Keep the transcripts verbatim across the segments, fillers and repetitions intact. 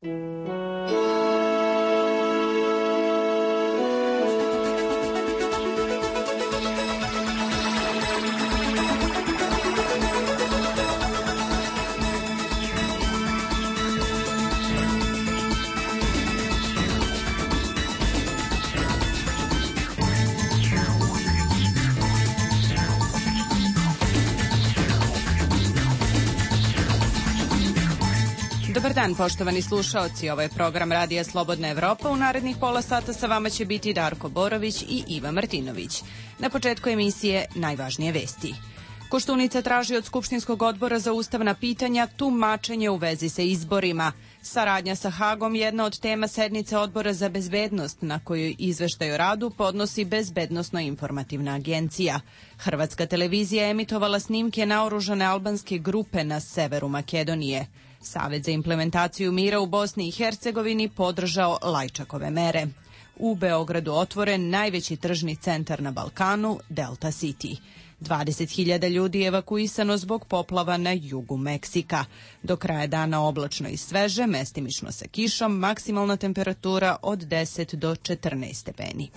Dobar dan, poštovani slušaoci. Ovo je program Radija Slobodna Evropa. U narednih pola sata sa vama će biti Darko Borović i Iva Martinović. Na početku emisije najvažnije vesti. Koštunica traži od Skupštinskog odbora za ustavna pitanja tumačenje u vezi sa izborima. Saradnja sa Hagom jedna od tema sednice Odbora za bezbednost, na kojoj izveštaj o radu podnosi Bezbednosno-informativna agencija. Hrvatska televizija emitovala snimke naoružane albanske grupe na severu Makedonije. Savet za implementaciju mira u Bosni i Hercegovini podržao Lajčakove mere. U Beogradu otvoren najveći tržni centar na Balkanu, Delta City. dvadeset hiljada ljudi je evakuisano zbog poplava na jugu Meksika. Do kraja dana oblačno i sveže, mestimično sa kišom, maksimalna temperatura od deset do četrnaest stepeni.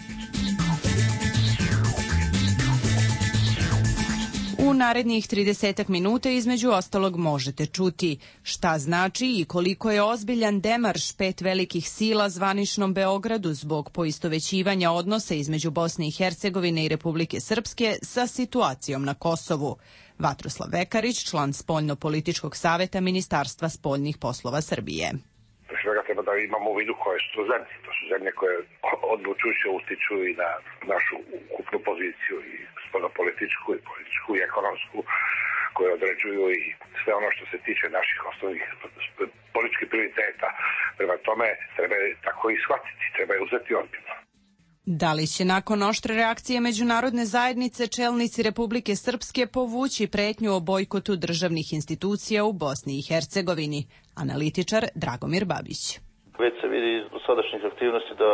U narednih tridesetak minuta između ostalog možete čuti šta znači i koliko je ozbiljan demarš pet velikih sila zvaničnom Beogradu zbog poistovećivanja odnosa između Bosne i Hercegovine i Republike Srpske sa situacijom na Kosovu. Vatroslav Vekarić, član Spoljno-političkog saveta Ministarstva spoljnih poslova Srbije. Svega treba da imamo u vidu koje su to zemlje. To su zemlje koje odlučujuće utiču i na našu ukupnu poziciju i spoljnopolitičku i političku i ekonomsku, koje određuju i sve ono što se tiče naših osnovnih političkih prioriteta. Prema tome treba tako i shvatiti, treba je uzeti ozbiljno. Da li će nakon oštre reakcije međunarodne zajednice čelnici Republike Srpske povući pretnju o bojkotu državnih institucija u Bosni i Hercegovini? Analitičar Dragomir Babić. Već se vidi iz sadašnjih aktivnosti da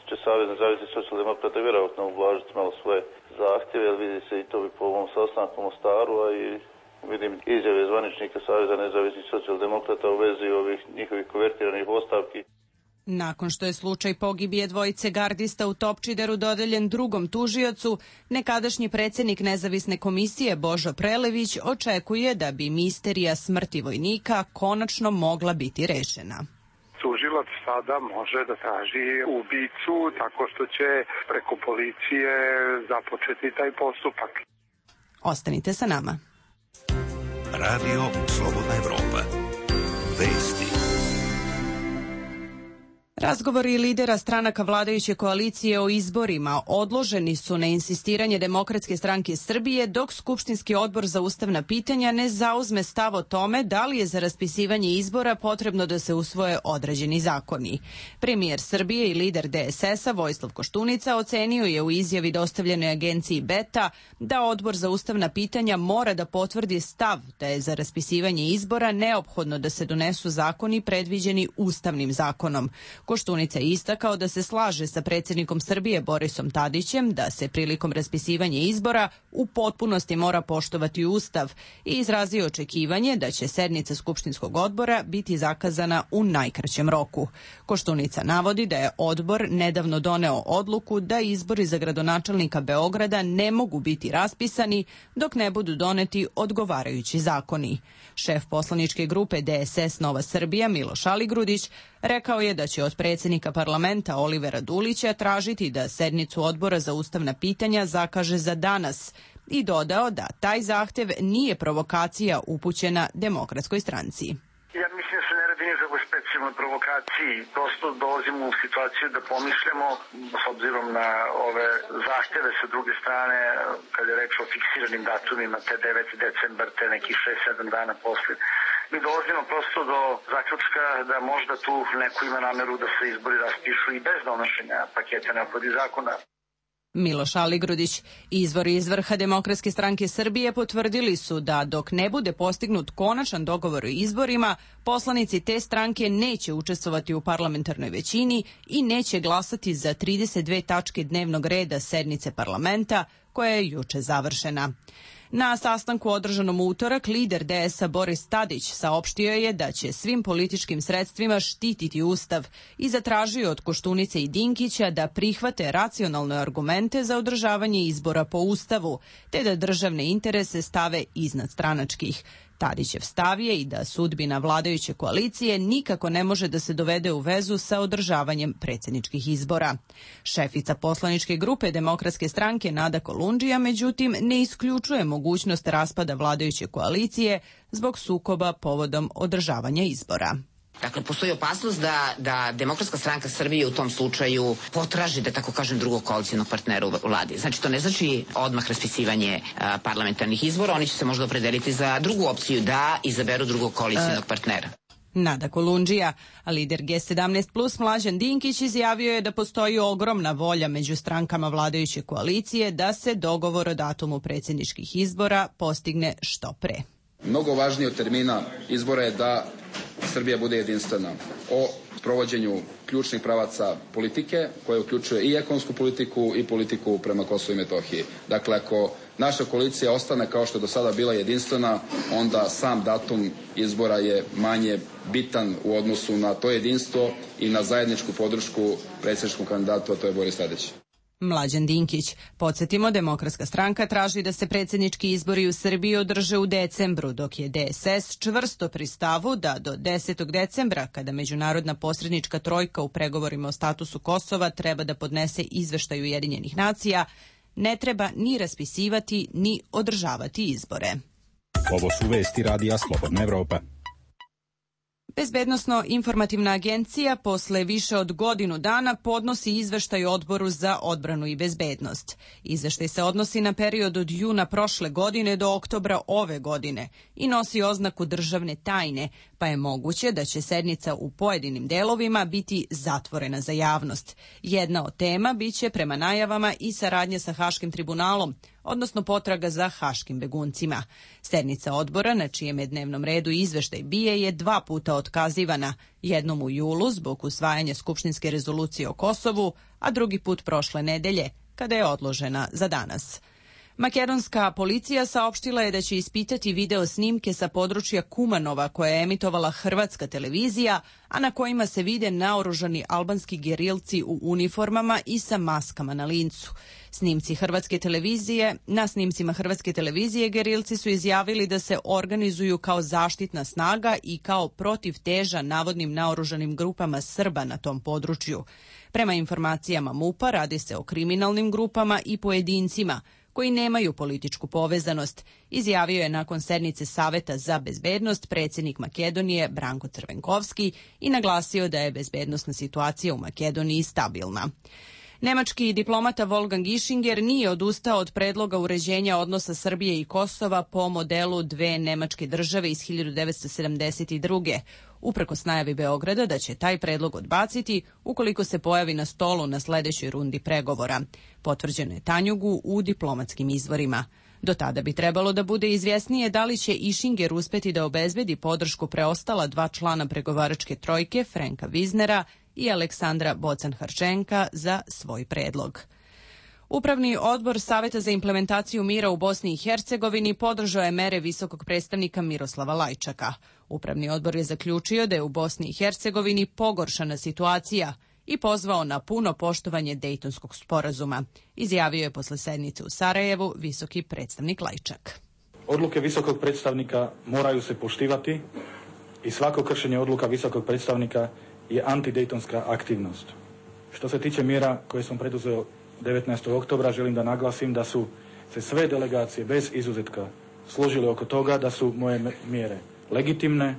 će Savez nezavisnih socijaldemokrata vjerojatno ublažiti malo svoje zahtjeve, jer vidi se i to bi po ovom sastanku u Mostaru, a i vidim izjave zvaničnika Saveza nezavisnih socijaldemokrata u vezi ovih njihovih konvertiranih ostavki. Nakon što je slučaj pogibije dvojice gardista u Topčideru dodeljen drugom tužiocu, nekadašnji predsjednik nezavisne komisije Božo Prelević očekuje da bi misterija smrti vojnika konačno mogla biti rešena. Tužilac sada može da traži ubicu tako što će preko policije započeti taj postupak. Ostanite sa nama. Radio Slobodna Evropa. Vesti. Razgovori lidera stranaka vladajuće koalicije o izborima odloženi su na insistiranje Demokratske stranke Srbije dok Skupštinski odbor za ustavna pitanja ne zauzme stav o tome da li je za raspisivanje izbora potrebno da se usvoje određeni zakoni. Premijer Srbije i lider D S S-a Vojislav Koštunica ocenio je u izjavi dostavljenoj agenciji Beta da odbor za ustavna pitanja mora da potvrdi stav da je za raspisivanje izbora neophodno da se donesu zakoni predviđeni ustavnim zakonom. Koštunica je istakao da se slaže sa predsjednikom Srbije Borisom Tadićem da se prilikom raspisivanja izbora u potpunosti mora poštovati Ustav i izrazio očekivanje da će sednica Skupštinskog odbora biti zakazana u najkraćem roku. Koštunica navodi da je odbor nedavno doneo odluku da izbori za gradonačelnika Beograda ne mogu biti raspisani dok ne budu doneti odgovarajući zakoni. Šef poslaničke grupe D S S Nova Srbija Miloš Aligrudić rekao je da će od predsjednika parlamenta Olivera Dulića tražiti da sednicu odbora za ustavna pitanja zakaže za danas i dodao da taj zahtev nije provokacija upućena Demokratskoj stranci. Ja mislim da se ne radi ni za specijalnoj provokaciji. Prosto dolazimo u situaciju da pomišljamo, s obzirom na ove zahteve sa druge strane, kad je reč o fiksiranim datumima, te deveti decembar, te nekih šest sedam dana posle. Mi dolazimo prosto do zaključka da možda tu neko ima nameru da se izbori raspišu i bez donošenja paketa neophodnih zakona. Miloš Aligrudić. Izvori iz vrha Demokratske stranke Srbije potvrdili su da dok ne bude postignut konačan dogovor o izborima, poslanici te stranke neće učestvovati u parlamentarnoj većini i neće glasati za trideset dve tačke dnevnog reda sednice parlamenta koja je juče završena. Na sastanku održanom u utorak, lider D S A Boris Tadić saopštio je da će svim političkim sredstvima štititi Ustav i zatražio od Koštunice i Dinkića da prihvate racionalne argumente za održavanje izbora po Ustavu, te da državne interese stave iznad stranačkih. Tadićev stav je i da sudbina vladajuće koalicije nikako ne može da se dovede u vezu sa održavanjem predsjedničkih izbora. Šefica poslaničke grupe Demokratske stranke Nada Kolundžija, međutim, ne isključuje mogućnost raspada vladajuće koalicije zbog sukoba povodom održavanja izbora. Dakle, postoji opasnost da, da Demokratska stranka Srbije u tom slučaju potraži, da tako kažem, drugog koalicijnog partnera u vladi. Znači, to ne znači odmah raspisivanje a, parlamentarnih izbora, oni će se možda opredeliti za drugu opciju, da izaberu drugog koalicijnog partnera. Nada Kolundžija, a lider G sedamnaest plus Mlađan Dinkić izjavio je da postoji ogromna volja među strankama vladajuće koalicije da se dogovor o datumu predsjedničkih izbora postigne što pre. Mnogo važnije od termina izbora je da Srbija bude jedinstvena o provođenju ključnih pravaca politike, koje uključuje i ekonomsku politiku i politiku prema Kosovu i Metohiji. Dakle, ako naša koalicija ostane kao što je do sada bila jedinstvena, onda sam datum izbora je manje bitan u odnosu na to jedinstvo i na zajedničku podršku predsjedničkom kandidatu, a to je Boris Tadić. Mlađan Dinkić. Podsjetimo, Demokratska stranka traži da se predsjednički izbori u Srbiji održe u decembru, dok je D S S čvrsto pri stavu da do desetog decembra, kada međunarodna posrednička trojka u pregovorima o statusu Kosova treba da podnese izveštaj Ujedinjenih nacija, ne treba ni raspisivati ni održavati izbore. Ovo su vesti Radija Slobodna Evropa. Bezbednosno-informativna agencija posle više od godinu dana podnosi izveštaj Odboru za odbranu i bezbednost. Izveštaj se odnosi na period od juna prošle godine do oktobra ove godine i nosi oznaku državne tajne, pa je moguće da će sednica u pojedinim delovima biti zatvorena za javnost. Jedna od tema biće prema najavama i saradnja sa Haškim tribunalom, odnosno potraga za haškim beguncima. Sednica odbora, na čijem je dnevnom redu izveštaj bije, je dva puta otkazivana, jednom u julu zbog usvajanja skupštinske rezolucije o Kosovu, a drugi put prošle nedelje, kada je odložena za danas. Makedonska policija saopštila je da će ispitati video snimke sa područja Kumanova koje je emitovala hrvatska televizija, a na kojima se vide naoružani albanski gerilci u uniformama i sa maskama na lincu. Snimci hrvatske televizije, na snimcima hrvatske televizije gerilci su izjavili da se organizuju kao zaštitna snaga i kao protivteža navodnim naoružanim grupama Srba na tom području. Prema informacijama MUP-a radi se o kriminalnim grupama i pojedincima koji nemaju političku povezanost, izjavio je nakon sednice Saveta za bezbednost predsjednik Makedonije Branko Crvenkovski i naglasio da je bezbednosna situacija u Makedoniji stabilna. Nemački diplomata Wolfgang Ischinger nije odustao od predloga uređenja odnosa Srbije i Kosova po modelu dve nemačke države iz hiljadu devetsto sedamdeset druge. Uprkos najavi Beograda da će taj predlog odbaciti ukoliko se pojavi na stolu na sledećoj rundi pregovora. Potvrđeno je Tanjugu u diplomatskim izvorima. Do tada bi trebalo da bude izvjesnije da li će Ischinger uspeti da obezbedi podršku preostala dva člana pregovaračke trojke, Franka Wiesnera i Aleksandra Bocan-Harčenka, za svoj predlog. Upravni odbor Saveta za implementaciju mira u Bosni i Hercegovini podržao je mere visokog predstavnika Miroslava Lajčaka. Upravni odbor je zaključio da je u Bosni i Hercegovini pogoršana situacija i pozvao na puno poštovanje Dejtonskog sporazuma, izjavio je posle sednice u Sarajevu visoki predstavnik Lajčak. Odluke visokog predstavnika moraju se poštivati i svako kršenje odluka visokog predstavnika je antidejtonska aktivnost. Što se tiče mjera koje sam preduzeo devetnaestog oktobra, želim da naglasim da su se sve delegacije bez izuzetka složile oko toga da su moje mjere legitimne,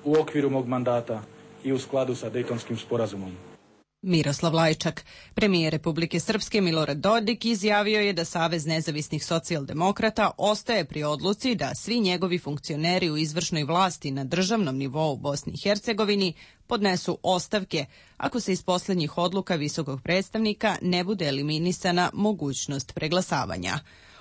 u okviru mog mandata i u skladu sa Dejtonskim sporazumom. Miroslav Lajčak. Premijer Republike Srpske Milorad Dodik izjavio je da Savez nezavisnih socijaldemokrata ostaje pri odluci da svi njegovi funkcioneri u izvršnoj vlasti na državnom nivou u Bosni i Hercegovini podnesu ostavke ako se iz poslednjih odluka visokog predstavnika ne bude eliminisana mogućnost preglasavanja.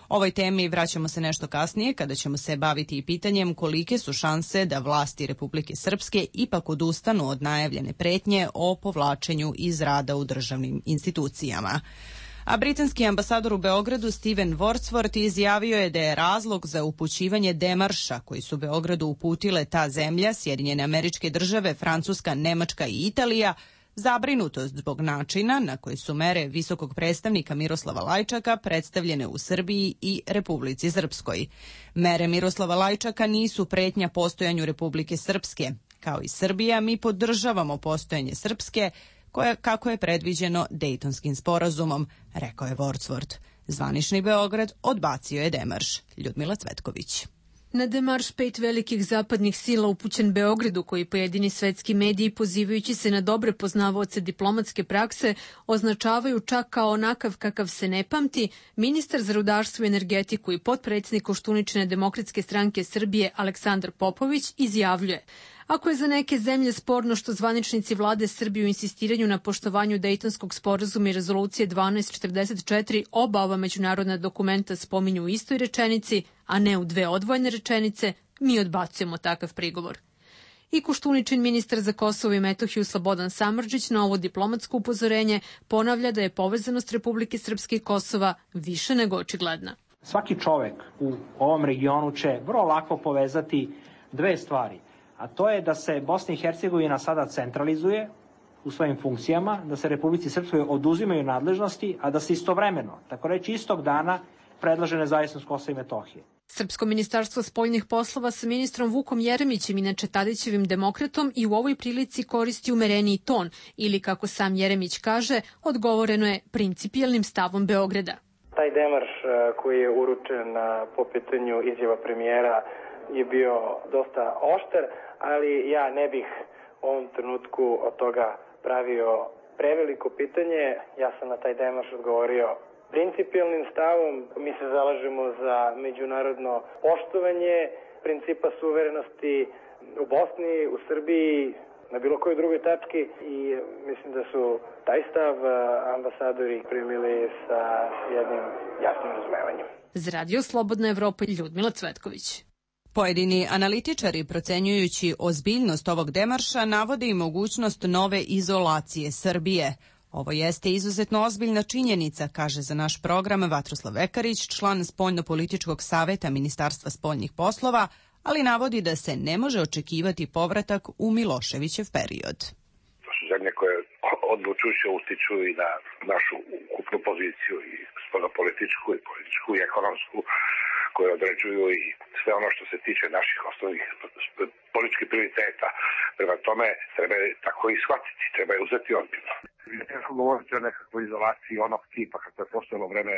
Ovoj temi vraćamo se nešto kasnije kada ćemo se baviti i pitanjem kolike su šanse da vlasti Republike Srpske ipak odustanu od najavljene pretnje o povlačenju iz rada u državnim institucijama. A britanski ambasador u Beogradu Steven Wordsworth izjavio je da je razlog za upućivanje demarša koji su Beogradu uputile ta zemlja, Sjedinjene Američke Države, Francuska, Nemačka i Italija, zabrinutost zbog načina na koji su mere visokog predstavnika Miroslava Lajčaka predstavljene u Srbiji i Republici Srpskoj. Mere Miroslava Lajčaka nisu pretnja postojanju Republike Srpske. Kao i Srbija, mi podržavamo postojanje Srpske, koje, kako je predviđeno Dejtonskim sporazumom, rekao je Wordsworth. Zvanični Beograd odbacio je demarš. Ljudmila Cvetković. Na demarš pet velikih zapadnih sila upućen Beogradu, koji pojedini svetski mediji, pozivajući se na dobre poznavaoce diplomatske prakse, označavaju čak kao onakav kakav se ne pamti, ministar za rudarstvo i energetiku i potpredsjednik Koštuničine demokratske stranke Srbije Aleksandar Popović izjavljuje: ako je za neke zemlje sporno što zvaničnici vlade Srbije u insistiranju na poštovanju Dejtonskog sporazuma i rezolucije dvanaest četrdeset četiri oba ova međunarodna dokumenta spominju u istoj rečenici, a ne u dve odvojene rečenice, mi odbacujemo takav prigovor. I Koštuničin ministar za Kosovo i Metohiju Slobodan Samardžić na ovo diplomatsko upozorenje ponavlja da je povezanost Republike Srpske i Kosova više nego očigledna. Svaki čovek u ovom regionu će vrlo lako povezati dve stvari. A to je da se Bosna i Hercegovina sada centralizuje u svojim funkcijama, da se Republici Srpskoj oduzimaju nadležnosti, a da se istovremeno, tako reći istog dana, predlaže nezavisnost Kosova i Metohije. Srpsko ministarstvo spoljnih poslova sa ministrom Vukom Jeremićem, inače Tadićevim demokratom, i u ovoj prilici koristi umereniji ton, ili kako sam Jeremić kaže, odgovoreno je principijelnim stavom Beograda. Taj demarš koji je uručen po pitanju izjava premijera je bio dosta oštar, ali ja ne bih u ovom trenutku od toga pravio preveliko pitanje. Ja sam na taj demarš odgovorio principijelnim stavom. Mi se zalažemo za međunarodno poštovanje principa suverenosti u Bosni, u Srbiji, na bilo kojoj drugoj tački, i mislim da su taj stav ambasadori primili sa jednim jasnim razumevanjem. Za Radio Slobodna Evropa, Ljudmila Cvetković. Pojedini analitičari, procenjujući ozbiljnost ovog demarša, navode i mogućnost nove izolacije Srbije. Ovo jeste izuzetno ozbiljna činjenica, kaže za naš program Vatroslav Vekarić, član Spoljno-političkog saveta Ministarstva spoljnih poslova, ali navodi da se ne može očekivati povratak u Miloševićev period. To su zemlje koje odlučujuće utiču i na našu ukupnu poziciju, i spoljno-političku, i političku, i ekonomsku, koje određuju i sve ono što se tiče naših osnovnih političkih prioriteta. Prema tome treba tako i shvatiti, treba je uzeti ozbiljno. Teško govoriti o nekakvoj izolaciji onog tipa kako je postojalo vreme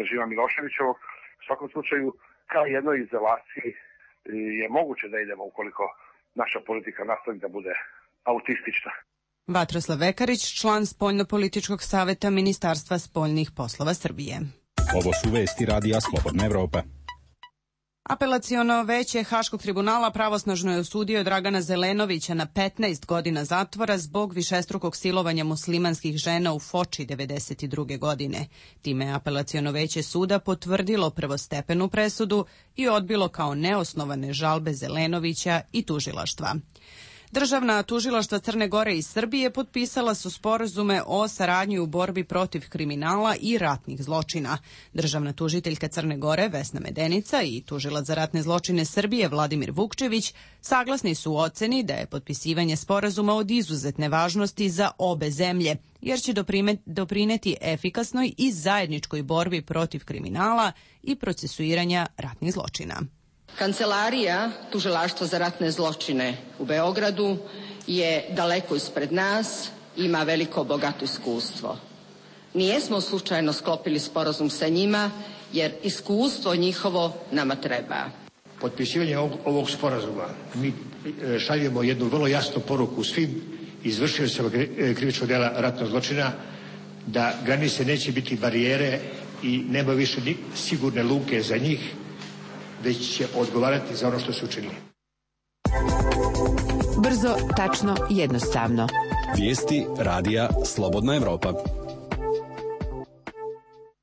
režima Miloševićevog. U svakom slučaju, kao jednoj izolaciji je moguće da idemo ukoliko naša politika nastavi da bude autistična. Vatroslav Vekarić, član Spoljno-političkog saveta Ministarstva spoljnih poslova Srbije. Ovo su vesti Radija Slobodna Evropa. Apelaciono veće Haškog tribunala pravosnažno je osudio Dragana Zelenovića na petnaest godina zatvora zbog višestrukog silovanja muslimanskih žena u Foči devedeset druge godine. Time je apelaciono veće suda potvrdilo prvostepenu presudu i odbilo kao neosnovane žalbe Zelenovića i tužilaštva. Državna tužilaštva Crne Gore i Srbije potpisala su sporazume o saradnji u borbi protiv kriminala i ratnih zločina. Državna tužiteljka Crne Gore Vesna Medenica i tužilac za ratne zločine Srbije Vladimir Vukčević saglasni su u oceni da je potpisivanje sporazuma od izuzetne važnosti za obe zemlje, jer će doprineti efikasnoj i zajedničkoj borbi protiv kriminala i procesuiranja ratnih zločina. Kancelarija Tužilaštva za ratne zločine u Beogradu je daleko ispred nas, ima veliko bogato iskustvo. Nijesmo slučajno sklopili sporazum sa njima, jer iskustvo njihovo nama treba. Potpisivanje ovog, ovog sporazuma mi šaljemo jednu vrlo jasnu poruku svim izvršiocima krivičnog dela ratnog zločina, da granice neće biti barijere i nema više ni sigurne luke za njih, već će odgovarati za ono što su učinili. Brzo, tačno, jednostavno. Vijesti Radija Slobodna Evropa.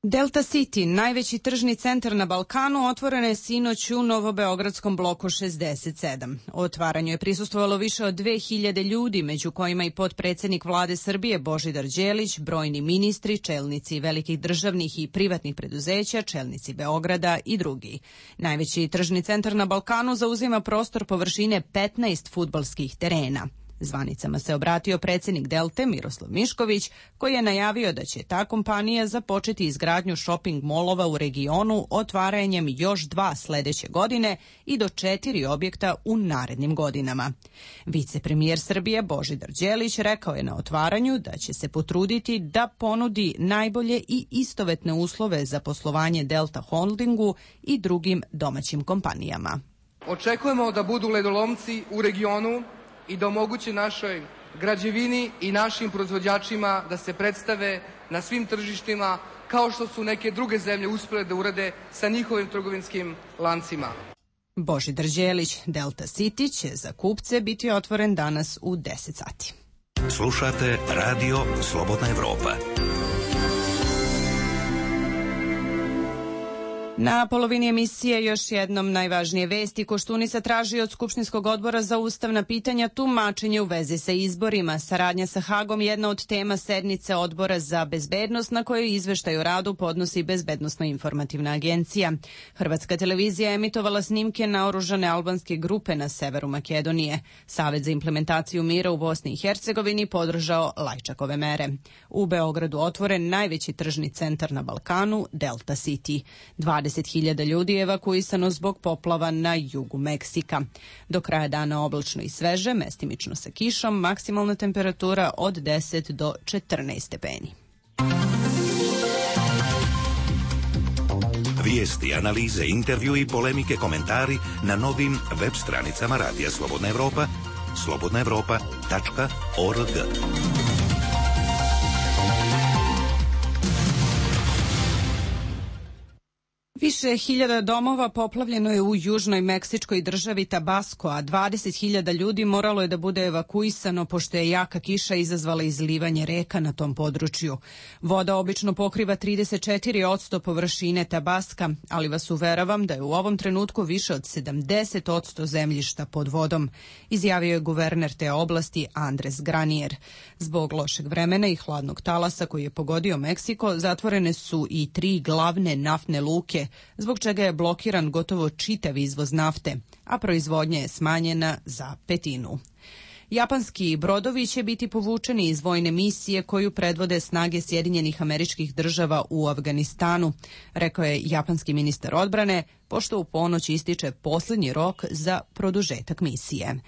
Delta City, najveći tržni centar na Balkanu, otvoren je sinoć u novobeogradskom bloku šezdeset sedam. O otvaranju je prisustvovalo više od dve hiljade ljudi, među kojima i potpredsednik vlade Srbije Božidar Đelić, brojni ministri, čelnici velikih državnih i privatnih preduzeća, čelnici Beograda i drugi. Najveći tržni centar na Balkanu zauzima prostor površine petnaest fudbalskih terena. Zvanicama se obratio predsjednik Delte Miroslav Mišković, koji je najavio da će ta kompanija započeti izgradnju shopping molova u regionu otvaranjem još dva sledeće godine i do četiri objekta u narednim godinama. Vicepremijer Srbije Božidar Đelić rekao je na otvaranju da će se potruditi da ponudi najbolje i istovetne uslove za poslovanje Delta Holdingu i drugim domaćim kompanijama. Očekujemo da budu ledolomci u regionu i da omoguće našoj građevini i našim proizvođačima da se predstave na svim tržištima kao što su neke druge zemlje uspjele da urade sa njihovim trgovinskim lancima. Božidar Đelić, Delta City će za kupce biti otvoren danas u deset sati. Slušate Radio Slobodna Evropa. Na polovini emisije još jednom najvažnije vesti. Koštunica traži od Skupštinskog odbora za ustavna pitanja tumačenje u vezi sa izborima. Saradnja sa Hagom je jedna od tema sednice Odbora za bezbednost na kojoj izveštaj o radu podnosi Bezbednosno-informativna agencija. Hrvatska televizija je emitovala snimke naoružane albanske grupe na severu Makedonije. Savet za implementaciju mira u Bosni i Hercegovini podržao Lajčakove mere. U Beogradu otvoren najveći tržni centar na Balkanu, Delta City. dvadeset hiljada ljudi je evakuisano zbog poplava na jugu Meksika. Do kraja dana oblačno i sveže, mestimično sa kišom, maksimalna temperatura od deset do četrnaest stepeni. Vijesti, analize, intervju i polemike, komentari na novim web stranicama Radija Slobodna Evropa, slobodna evropa tačka org. Više hiljada domova poplavljeno je u južnoj meksičkoj državi Tabasco, a dvadeset hiljada ljudi moralo je da bude evakuisano pošto je jaka kiša izazvala izlivanje reka na tom području. Voda obično pokriva trideset četiri posto površine Tabaska, ali vas uveravam da je u ovom trenutku više od sedamdeset posto zemljišta pod vodom, izjavio je guverner te oblasti Andres Granier. Zbog lošeg vremena i hladnog talasa koji je pogodio Meksiko, zatvorene su i tri glavne naftne luke, zbog čega je blokiran gotovo čitav izvoz nafte, a proizvodnja je smanjena za petinu. Japanski brodovi će biti povučeni iz vojne misije koju predvode snage Sjedinjenih Američkih Država u Afganistanu, rekao je japanski ministar odbrane, pošto u ponoć ističe posljednji rok za produžetak misije.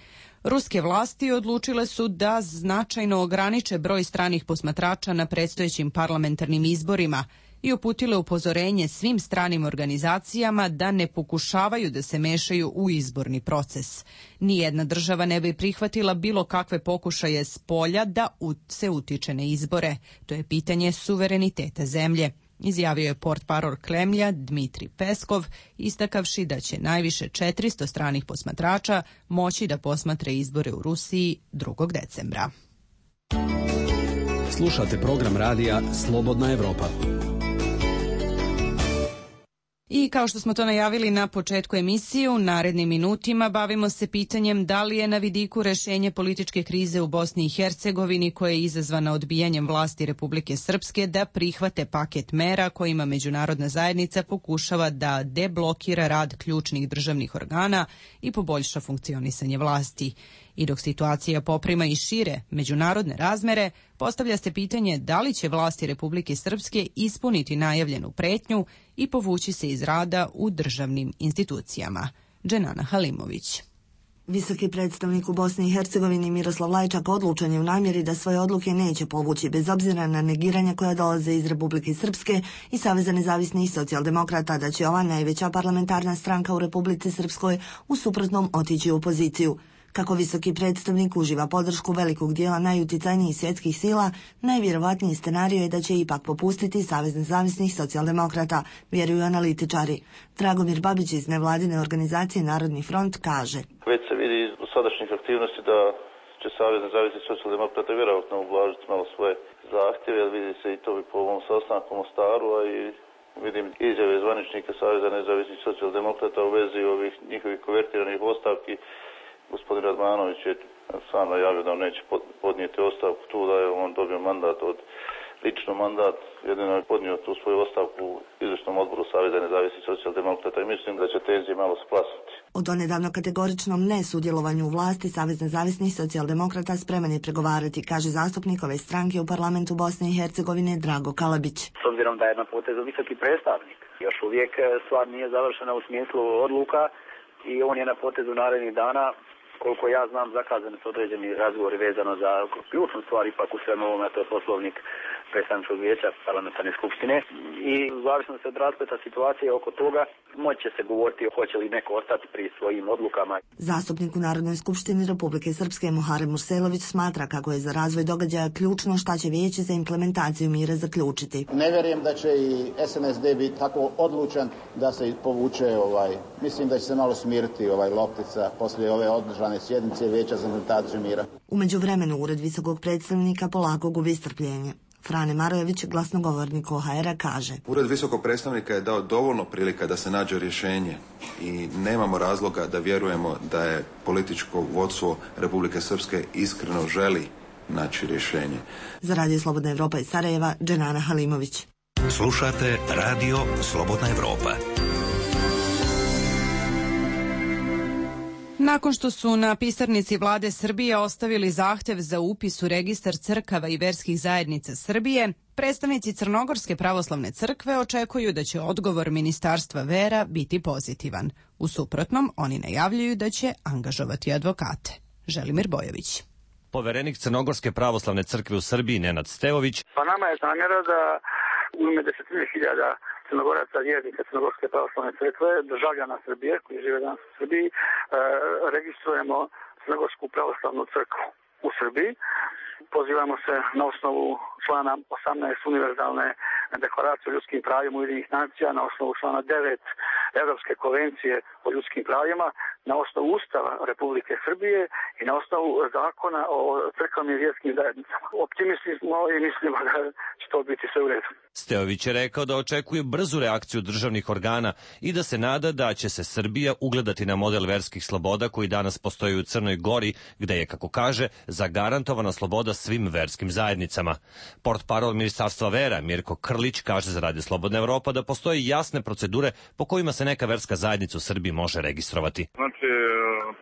Ruske vlasti odlučile su da značajno ograniče broj stranih posmatrača na predstojećim parlamentarnim izborima i uputile upozorenje svim stranim organizacijama da ne pokušavaju da se mešaju u izborni proces. Nijedna država ne bi prihvatila bilo kakve pokušaje s polja da se utiče na izbore. To je pitanje suvereniteta zemlje, izjavio je portparol Kremlja Dmitri Peskov, istakavši da će najviše četiristo stranih posmatrača moći da posmatre izbore u Rusiji drugog decembra. Slušate program radija Slobodna Evropa. I kao što smo to najavili na početku emisije, u narednim minutima bavimo se pitanjem da li je na vidiku rešenje političke krize u Bosni i Hercegovini koja je izazvana odbijanjem vlasti Republike Srpske da prihvate paket mera kojima međunarodna zajednica pokušava da deblokira rad ključnih državnih organa i poboljša funkcionisanje vlasti. I dok situacija poprima i šire međunarodne razmere, postavlja se pitanje da li će vlasti Republike Srpske ispuniti najavljenu pretnju i povući se iz rada u državnim institucijama. Dženana Halimović. Visoki predstavnik u Bosni i Hercegovini Miroslav Lajčak odlučan je u namjeri da svoje odluke neće povući bez obzira na negiranja koja dolaze iz Republike Srpske i Saveza nezavisnih socijaldemokrata da će ova najveća parlamentarna stranka u Republici Srpskoj u suprotnom otići u opoziciju. Kako visoki predstavnik uživa podršku velikog dijela najuticajnijih svjetskih sila, najvjerovatniji scenarij je da će ipak popustiti Savez nezavisnih socijaldemokrata, vjeruju analitičari. Dragomir Babić iz nevladine organizacije Narodni front kaže: Već se vidi iz sadašnjih aktivnosti da će Savez nezavisnih socijaldemokrata vjerojatno ublažiti malo svoje zahtjeve, jer vidi se i to bi po ovom sastanku u Mostaru, a i vidim izjave zvaničnika Saveza nezavisnih socijaldemokrata u vezi ovih njihovih konvertiranih ostavki. Gospodin Radmanović je sam najavio da on neće podnijeti ostavku tu, da je on dobio mandat od lično mandat, jedino je podnio tu svoju ostavku u izvršnom odboru Saveza nezavisnih socijaldemokrata i mislim da će tenzije malo splasiti. O donedavno kategoričnom nesudjelovanju u vlasti Savez nezavisnih socijaldemokrata spreman je pregovarati, kaže zastupnik ove stranke u parlamentu Bosne i Hercegovine Drago Kalabić. S obzirom da je na potezu visoki predstavnik, još uvijek stvar nije završena u smislu odluka i on je na potezu narednih dana. Koliko ja znam, zakazani su određeni razgovori vezano za ključnu stvar, ipak u svemu ovome, to je poslovnik predstavničkog vijeća parlamentarne skupštine. I u zavisnosti od raspleta situacije oko toga moći će se govoriti hoće li neko ostati pri svojim odlukama. Zastupnik u Narodnoj skupštini Republike Srpske Muharem Urselović smatra kako je za razvoj događaja ključno šta će vijeće za implementaciju mira zaključiti. Ne vjerujem da će i S N S D biti tako odlučan da se povuče, ovaj, mislim da će se malo smiriti ovaj loptica poslije ove održane sjednice vijeća za implementaciju mira. U međuvremenu Ured visokog predstavnika polako gubi strpljenje. Frane Marojević, glasnogovornik O H R-a, kaže: Ured visokog predstavnika je dao dovoljno prilika da se nađe rješenje i nemamo razloga da vjerujemo da je političko vodstvo Republike Srpske iskreno želi naći rješenje. Za Radio Slobodna Evropa iz Sarajeva, Dženana Halimović. Slušate Radio Slobodna Evropa. Nakon što su na pisarnici vlade Srbije ostavili zahtev za upis u registar crkava i verskih zajednica Srbije, predstavnici Crnogorske pravoslavne crkve očekuju da će odgovor Ministarstva vera biti pozitivan. U suprotnom, oni najavljuju da će angažovati advokate. Želimir Bojović. Poverenik Crnogorske pravoslavne crkve u Srbiji Nenad Stevović. Pa nama je namjera da u ime desetine hiljada Crnogoraca, vjernika Crnogorske pravoslavne crkve, državljana Srbije koji žive danas u Srbiji, e, registrujemo Crnogorsku pravoslavnu crkvu u Srbiji. Pozivamo se na osnovu člana osamnaest univerzalne deklaracije o ljudskim pravima Ujedinjenih nacija, na osnovu člana devet Evropske konvencije o ljudskim pravima, na osnovu Ustava Republike Srbije i na osnovu zakona o crkvenim i vjerskim zajednicama. Optimisti smo i mislimo da će to biti sve u redu. Stevović je rekao da očekuje brzu reakciju državnih organa i da se nada da će se Srbija ugledati na model verskih sloboda koji danas postoji u Crnoj Gori, gde je, kako kaže, zagarantovana sloboda svim verskim zajednicama. Portparol Ministarstva vera Mirko Krlić kaže za Radio Slobodna Evropa da postoje jasne procedure po kojima se neka verska zajednica u Srbiji može registrovati. Znači,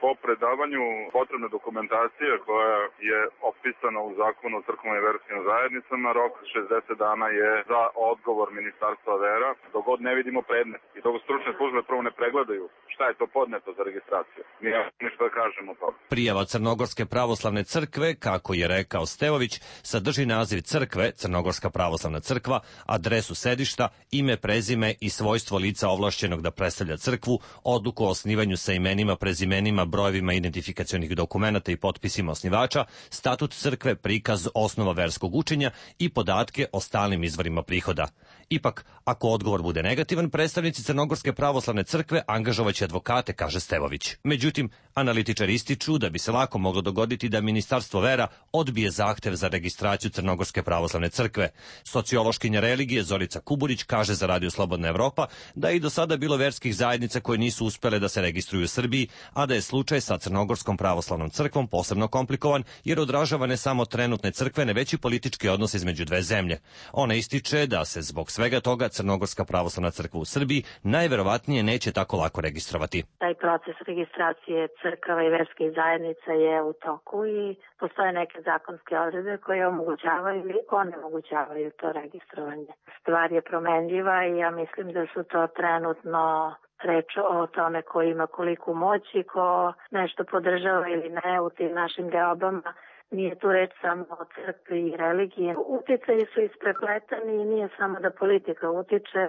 po predavanju potrebne dokumentacije koja je opisana u zakonu o crkvenim i verskim zajednicama, rok šezdeset dana je za odgovor Ministarstva vera, dok god ne vidimo predmet i dok stručne službe prvo ne pregledaju šta je to podneto za registraciju. Mi ja ništa da kažemo o tome. Prijava Crnogorske pravoslavne crkve, kako je rekao Stevović, sadrži naziv crkve, Crnogorska pravoslavna crkva, adresu sedišta, ime, prezime i svojstvo lica ovlašćenog da predstavlja crkvu, odluku o osnivanju sa imenima, prezimenima, brojevima identifikacionih dokumenata i potpisima osnivača, statut crkve, prikaz osnova verskog učenja i podatke o stalnim izvorima prihoda. Ipak, ako odgovor bude negativan, predstavnici Crnogorske pravoslavne crkve angažovaće advokate, kaže Stevović. Međutim, analitičari ističu da bi se lako moglo dogoditi da Ministarstvo vera odbije zahtev za registraciju Crnogorske pravoslavne crkve. Sociološkinja religije Zorica Kuburić kaže za Radio Slobodna Evropa da je i do sada bilo verskih zajednica koje nisu uspele da se registruju u Srbiji, a da je slučaj sa Crnogorskom pravoslavnom crkvom posebno komplikovan jer odražava ne samo trenutne crkvene, već i politički odnos između dve zemlje. Ona ističe da se zbog svega toga Crnogorska pravoslavna crkva u Srbiji najverovatnije neće tako lako registrovati. Taj proces registracije crkava i verskih zajednica je u toku i postoje neke zakonske odredbe koje omogućavaju ili onemogućavaju to registrovanje. Stvar je promenljiva i ja mislim da su to trenutno reč o tome ko ima koliku moć i ko nešto podržava ili ne u tim našim deobama. Nije tu reč samo o crkvi i religiji. Uticaji su isprepletani i nije samo da politika utiče,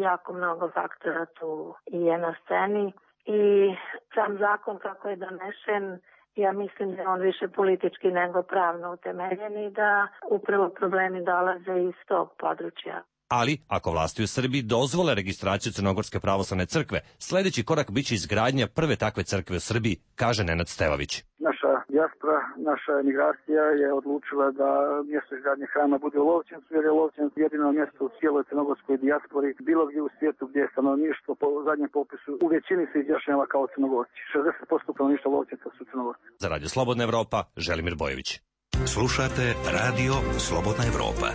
jako mnogo faktora tu je na sceni i sam zakon kako je donesen, ja mislim da je on više politički nego pravno utemeljen i da upravo problemi dolaze iz tog područja. Ali, ako vlasti u Srbiji dozvole registraciju Crnogorske pravoslavne crkve, sljedeći korak biće izgradnja prve takve crkve u Srbiji, kaže Nenad Stevović. naša dijaspora, naša emigracija je odlučila da mjesto izgradnje hrama bude u Lovćencu, jer je Lovćenc jedino mjesto u cijeloj crnogorskoj dijaspori, bilo gdje u svijetu gdje je stanovništvo po zadnjem popisu u većini se izjašnjava kao Crnogorci. šezdeset posto stanovništva Lovćenca su Crnogorci. Za Radio Slobodna Evropa, Želimir Bojović. Slušate Radio Slobodna Evropa.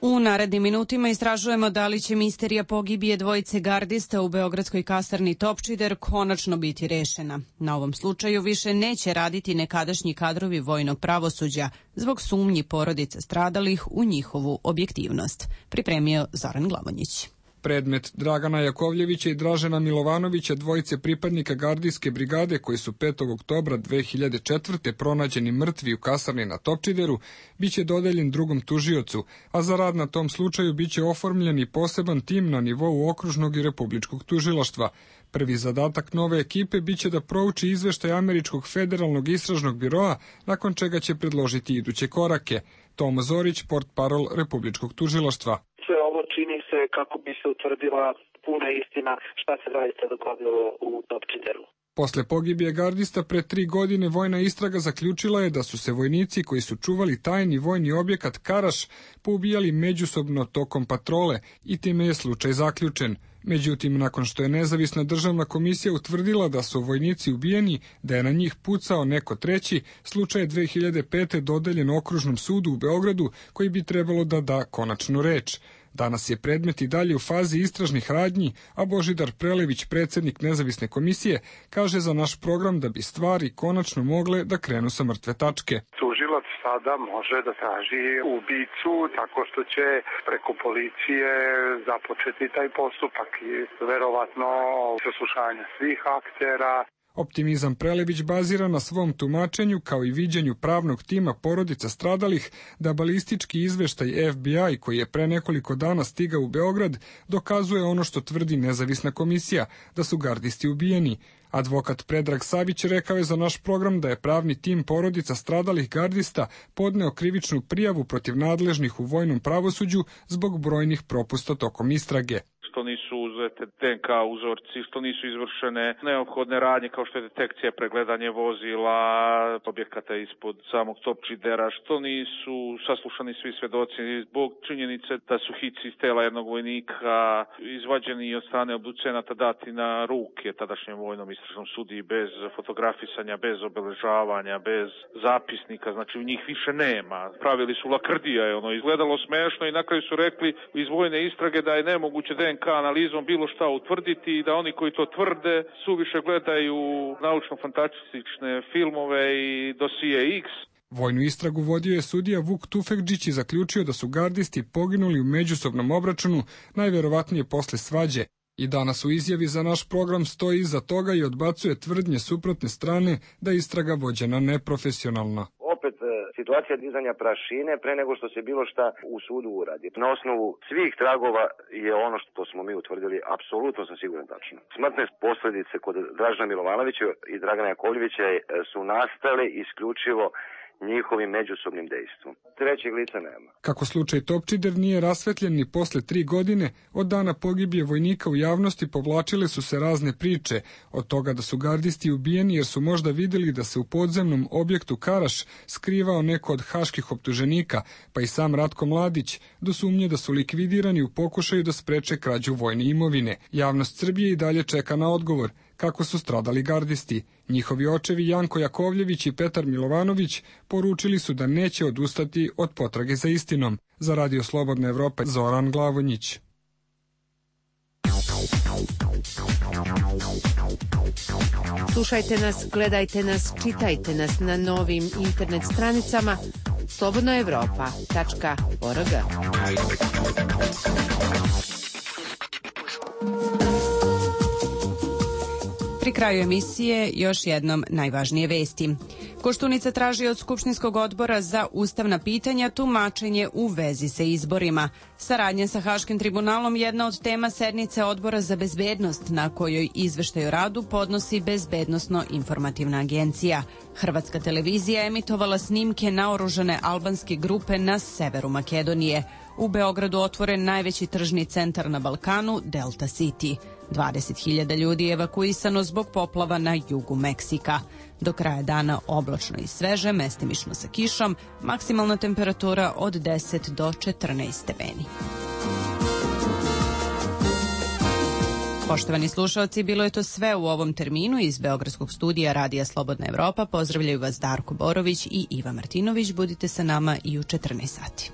U narednim minutima istražujemo da li će misterija pogibije dvojice gardista u beogradskoj kasarni Topčider konačno biti rešena. Na ovom slučaju više neće raditi nekadašnji kadrovi vojnog pravosuđa zbog sumnji porodica stradalih u njihovu objektivnost. Pripremio Zoran Glavonjić. Predmet Dragana Jakovljevića i Dražena Milovanovića, dvojice pripadnika gardijske brigade koji su petog oktobra dve hiljade četvrte pronađeni mrtvi u kasarni na Topčideru, biće dodeljen drugom tužiocu, a za rad na tom slučaju biće oformljen i poseban tim na nivou okružnog i republičkog tužilaštva. Prvi zadatak nove ekipe biće da prouči izveštaj Američkog federalnog istražnog biroa, nakon čega će predložiti iduće korake. Tomo Zorić, portparol republičkog tužilaštva. Sve ovo čini se kako bi se utvrdila puna istina šta se zaista dogodilo u Topčideru. Posle pogibije gardista pre tri godine vojna istraga zaključila je da su se vojnici koji su čuvali tajni vojni objekat Karaš poubijali međusobno tokom patrole i time je slučaj zaključen. Međutim, nakon što je nezavisna državna komisija utvrdila da su vojnici ubijeni, da je na njih pucao neko treći, slučaj je dve hiljade pete dodeljen okružnom sudu u Beogradu koji bi trebalo da da konačnu reč. Danas je predmet i dalje u fazi istražnih radnji, a Božidar Prelević, predsjednik nezavisne komisije, kaže za naš program da bi stvari konačno mogle da krenu sa mrtve tačke. Tužilac sada može da traži ubicu tako što će preko policije započeti taj postupak i verovatno saslušanje svih aktera. Optimizam Prelević bazira na svom tumačenju kao i viđenju pravnog tima porodica stradalih da balistički izveštaj F B I koji je pre nekoliko dana stigao u Beograd dokazuje ono što tvrdi nezavisna komisija, da su gardisti ubijeni. Advokat Predrag Savić rekao je za naš program da je pravni tim porodica stradalih gardista podneo krivičnu prijavu protiv nadležnih u vojnom pravosuđu zbog brojnih propusta tokom istrage. Što nisu uzete D N K uzorci, što nisu izvršene neophodne radnje kao što je detekcija, pregledanje vozila, objekata ispod samog Topčidera, što nisu saslušani svi svedoci zbog činjenice da su hici iz tela jednog vojnika izvađeni od strane obducenata dati na ruke tadašnjem vojnom istražnom sudiji bez fotografisanja, bez obeležavanja, bez zapisnika, znači u njih više nema. Pravili su lakrdija, je ono izgledalo smešno i na kraju su rekli iz vojne istrage da je nemoguće D N K analizom bilo šta utvrditi i da oni koji to tvrde suviše gledaju naučno-fantastične filmove i dosije X. Vojnu istragu vodio je sudija Vuk Tufekđić i zaključio da su gardisti poginuli u međusobnom obračunu, najverovatnije posle svađe. I danas u izjavi za naš program stoji iza toga i odbacuje tvrdnje suprotne strane da istraga vođena neprofesionalno. Opet situacija dizanja prašine pre nego što se bilo šta u sudu uradi. Na osnovu svih tragova je ono što smo mi utvrdili apsolutno sam siguran tačno. Smrtne posljedice kod Dražena Milovanovića i Dragana Jakovljevića su nastale isključivo njihovim međusobnim dejstvom. Trećeg lica nema. Kako slučaj Topčider nije rasvetljen ni posle tri godine, od dana pogibije vojnika u javnosti povlačile su se razne priče, od toga da su gardisti ubijeni jer su možda vidjeli da se u podzemnom objektu Karaš skrivao neko od haških optuženika, pa i sam Ratko Mladić, do sumnje da su likvidirani u pokušaju da spreče krađu vojne imovine. Javnost Srbije i dalje čeka na odgovor kako su stradali gardisti. Njihovi očevi Janko Jakovljević i Petar Milovanović poručili su da neće odustati od potrage za istinom. Za Radio Slobodna Evropa, Zoran Glavonjić. Slušajte nas, gledajte nas, čitajte nas na novim internet stranicama slobodna evropa tačka org. Pri kraju emisije još jednom najvažnije vesti. Koštunica traži od Skupštinskog odbora za ustavna pitanja tumačenje u vezi sa izborima. Saradnja sa Haškim tribunalom jedna od tema sednice Odbora za bezbednost, na kojoj izveštaj o radu podnosi Bezbednosno-informativna agencija. Hrvatska televizija emitovala snimke naoružane albanske grupe na severu Makedonije. U Beogradu otvoren najveći tržni centar na Balkanu, Delta City. dvadeset hiljada ljudi je evakuisano zbog poplava na jugu Meksika. Do kraja dana oblačno i sveže, mestimično sa kišom, maksimalna temperatura od deset do četrnaest stepeni. Poštovani slušalci, bilo je to sve u ovom terminu. Iz Beogradskog studija Radija Slobodna Evropa pozdravljaju vas Darko Borović i Iva Martinović. Budite sa nama i u četrnaest sati.